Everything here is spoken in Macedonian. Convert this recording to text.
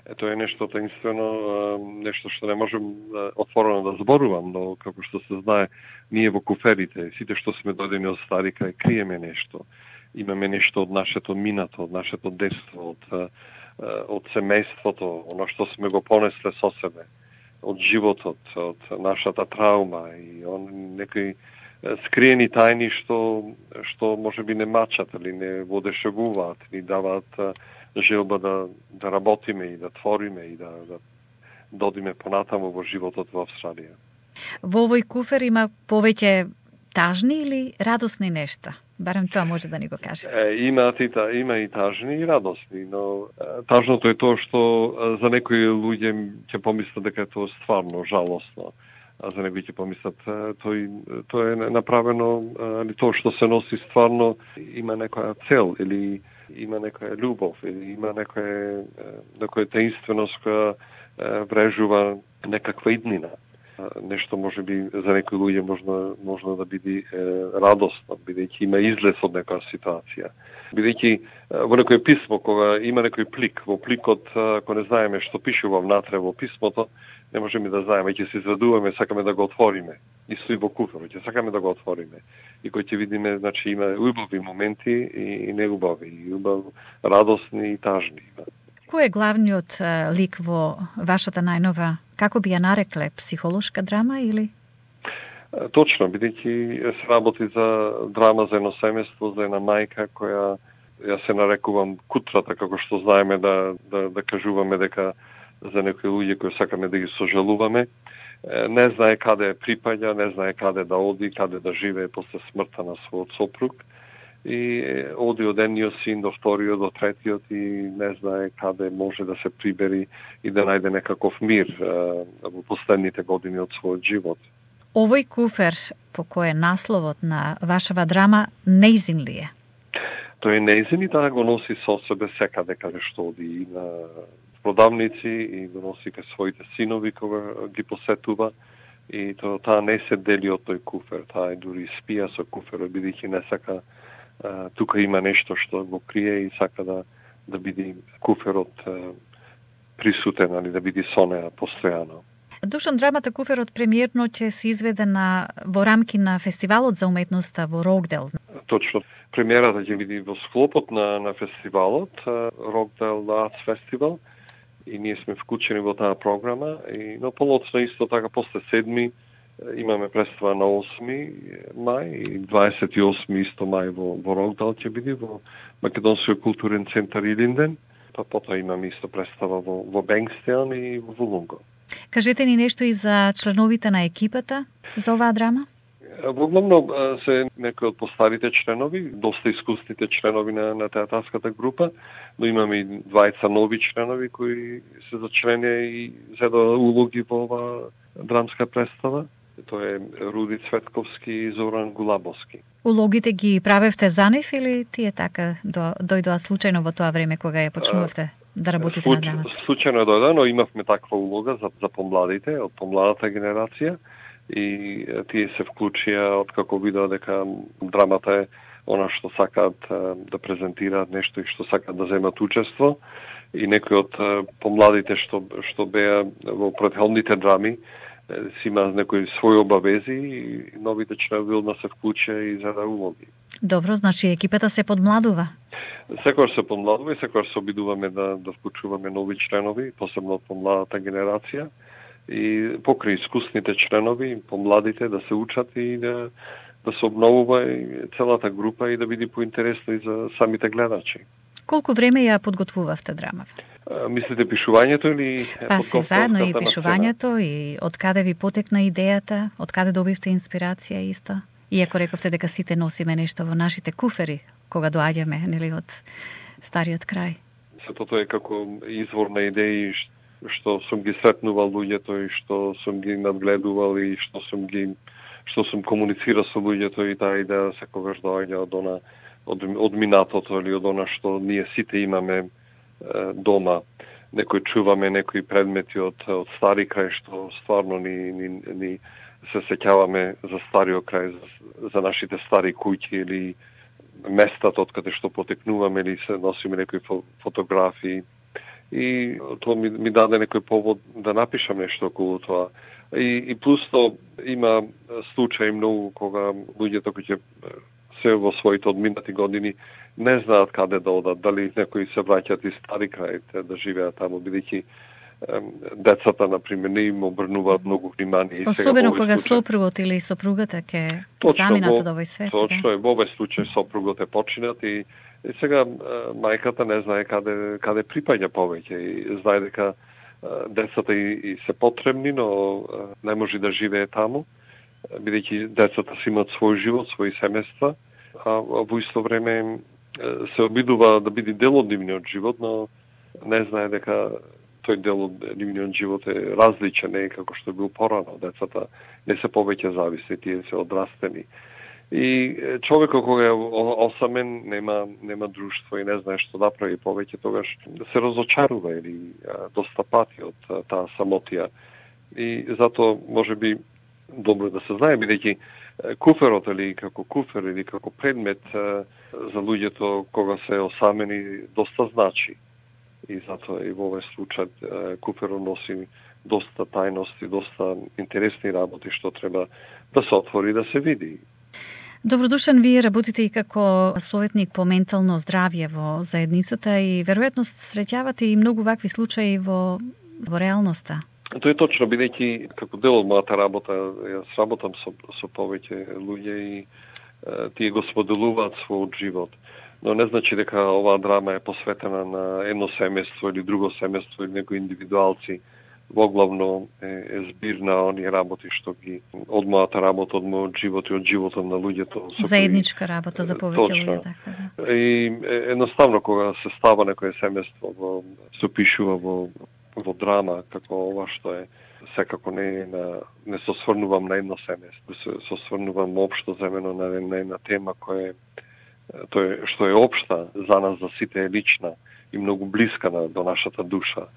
Тоа е нешто таинствено, нешто што не можем отворено да зборувам, но како што се знае, ние во куферите, сите што сме додени од старика, криеме нешто. Имаме нешто од нашето минато, од нашето детство, од семејството, оно што сме го понесле со себе, од животот, од нашата траума и некои скриени тајни што можеби не мачат или не водешевуваат, ни даваат желба да работиме и да твориме и да додиме понатаму во животот во Австралија. Во овој куфер има повеќе тажни или радосни нешта? Барем тоа може да ни го кажете. Има и тажни и радосни, но тажното е тоа што за некои луѓе ќе помислат дека е тоа стварно жалосно, а за некои ќе помислат тоа е направено, тоа што се носи стварно има некоја цел или има некоја љубов или има некоја таинственост која врежува некаква иднина. Нешто може би за некои луѓе можно да биде радосно, бидејќи има излез од некоја ситуација. Бидејќи во некој писмо, кога има некој плик, во пликот, ако не знаеме што пишува внатре во писмото, не можеме да знаеме, ќе се изведуваме, сакаме да го отвориме. Исто и во куферот, ќе сакаме да го отвориме. И кој ќе видиме, значи има убави моменти и неубави, и радосни и тажни. Кој е главниот лик во вашата најнова, како би ја нарекле, психолошка драма или? Точно, бидејќи се работи за драма за едно семејство, за една мајка која ја се нарекувам кутрата, како што знаеме да кажуваме дека за некои луѓе кои сакаме да ги сожалуваме, не знае каде припаѓа, не знае каде да оди, каде да живее после смртта на својот сопруг. И оди од едниот син до вториот, до третиот и не знае каде може да се прибери и да најде некаков мир во последните години од својот живот. Овој куфер, по кој е насловот на вашава драма, нејзин ли е? Тој е нејзин и таа го носи со себе секаде каде што оди, и на продавници, и го носи кај своите синови кога ги посетува. И таа не се дели од тој куфер, таа дури спија со куферот, бидејќи не сака тука има нешто што го крие и сака да биде куферот присутен, али да биде со неа постојано. Душан, драмата Куферот премиерно ќе се изведе во рамки на фестивалот за уметноста во Рокдел. Точно. Премиерата ќе биде во склопот на фестивалот, Рокдел Arts Festival, и ние сме вклучени во таа програма, но полоцно исто така после 7 имаме представа на 8 мај и 28 исто мај во Рокдал ќе биде во Македонскиот културен центар Илинден, па потоа имаме исто представа во Бенгстеон и во Вулунго. Кажете ни нешто и за членовите на екипата за оваа драма? Во главно се некои од постарите членови, доста искусните членови на театарската група, но имаме и двајца нови членови кои се зачленија и зедоа улоги во оваа драмска представа. Тоа е Руди Цветковски и Зоран Гулабовски. Улогите ги правевте за нив или тие така дојдоа случајно во тоа време кога ја почнувавте да работите на драмата? Случајно дојдоа, но имавме таква улога за помладите, од помладата генерација, и тие се вклучија откако видоа дека драмата е она што сакаат да презентираат нешто и што сакаат да земат учество, и некои од помладите што беа во претходните драми си има некои своји обавези и новите членови одма се вклучија и за улоги. Добро, значи екипата се подмладува? Секогаш се подмладува и секогаш се обидуваме да вклучуваме нови членови, посебно од помладата генерација, и покрај искусните членови, помладите да се учат и да се обновува и целата група и да биде поинтересно и за самите гледачи. Колку време ја подготвувавте драмава? Мислите пишувањето или па се заедно и пишувањето и од каде ви потекна идејата, од каде добивте инспирација исто? Иако рековте дека сите носиме нешто во нашите куфери кога доаѓаме, нели, од стариот крај. Сето тоа е како извор на идеи што сум ги сретнувал луѓето и што сум ги надгледувал и што сум комуницирал со луѓето, и таа идеја секогаш доаѓа од минатото или од она што ние сите имаме дома. Некои чуваме некои предмети од стари крај што стварно ни се сеќаваме за стариот крај, за нашите стари куќи или местата од каде што потекнуваме, или се носиме некои фотографии и тоа ми даде некој повод да напишам нешто околу тоа. И плюс тоа има случаи многу кога луѓето кои ќе се во своите одминати години не знаат каде да одат, дали некои се враќаат из стари краите да живеат таму, бидејќи децата, например, не им обрнуваат многу внимание. Особено кога сопругот или сопругата ќе заминат од овој свет. Точно е, во овој случај сопругот е починат и сега мајката не знае каде припаѓа повеќе и знае дека децата и се потребни, но не може да живее таму, бидејќи децата си имаат свој живот, своји семејства, а во исто време се обидува да биде дел од нивниот живот, но не знае дека тој дел од нивниот живот е различен, не како што бил порано. Децата не се повеќе зависни, тие се одрастени. И човекот кога е осамен, нема друштво и не знае што да прави повеќе, тогаш се разочарува или доста пати од таа самотија. И затоа можеби добро да се знае, бидејќи куферот или како куфер или како предмет за луѓето кога се осамени доста значи. И затоа и во овој случај куферот носи доста тајности, доста интересни работи што треба да се отвори и да се види. Добродушен, вие работите и како советник по ментално здравје во заедницата и веројатно среќавате и многу вакви случаи во реалноста. Тоа е точно, бидејќи како дел од мојата работа, јас работам со повеќе луѓе и тие го споделуваат својот живот. Но не значи дека оваа драма е посветена на едно семејство или друго семејство или некои индивидуалци. Воглавно е збир на оние работи што ги од мојата работа, од мојот живот и од животот на луѓето. Заедничка работа за повеќе луѓе, така. И едноставно кога се става некое семејство, се опишува во драма како ова што е, секако не се осврнувам на едно семејство, се осврнувам општо земено на една тема која што е општа за нас за сите, е лична и многу блиска до нашата душа.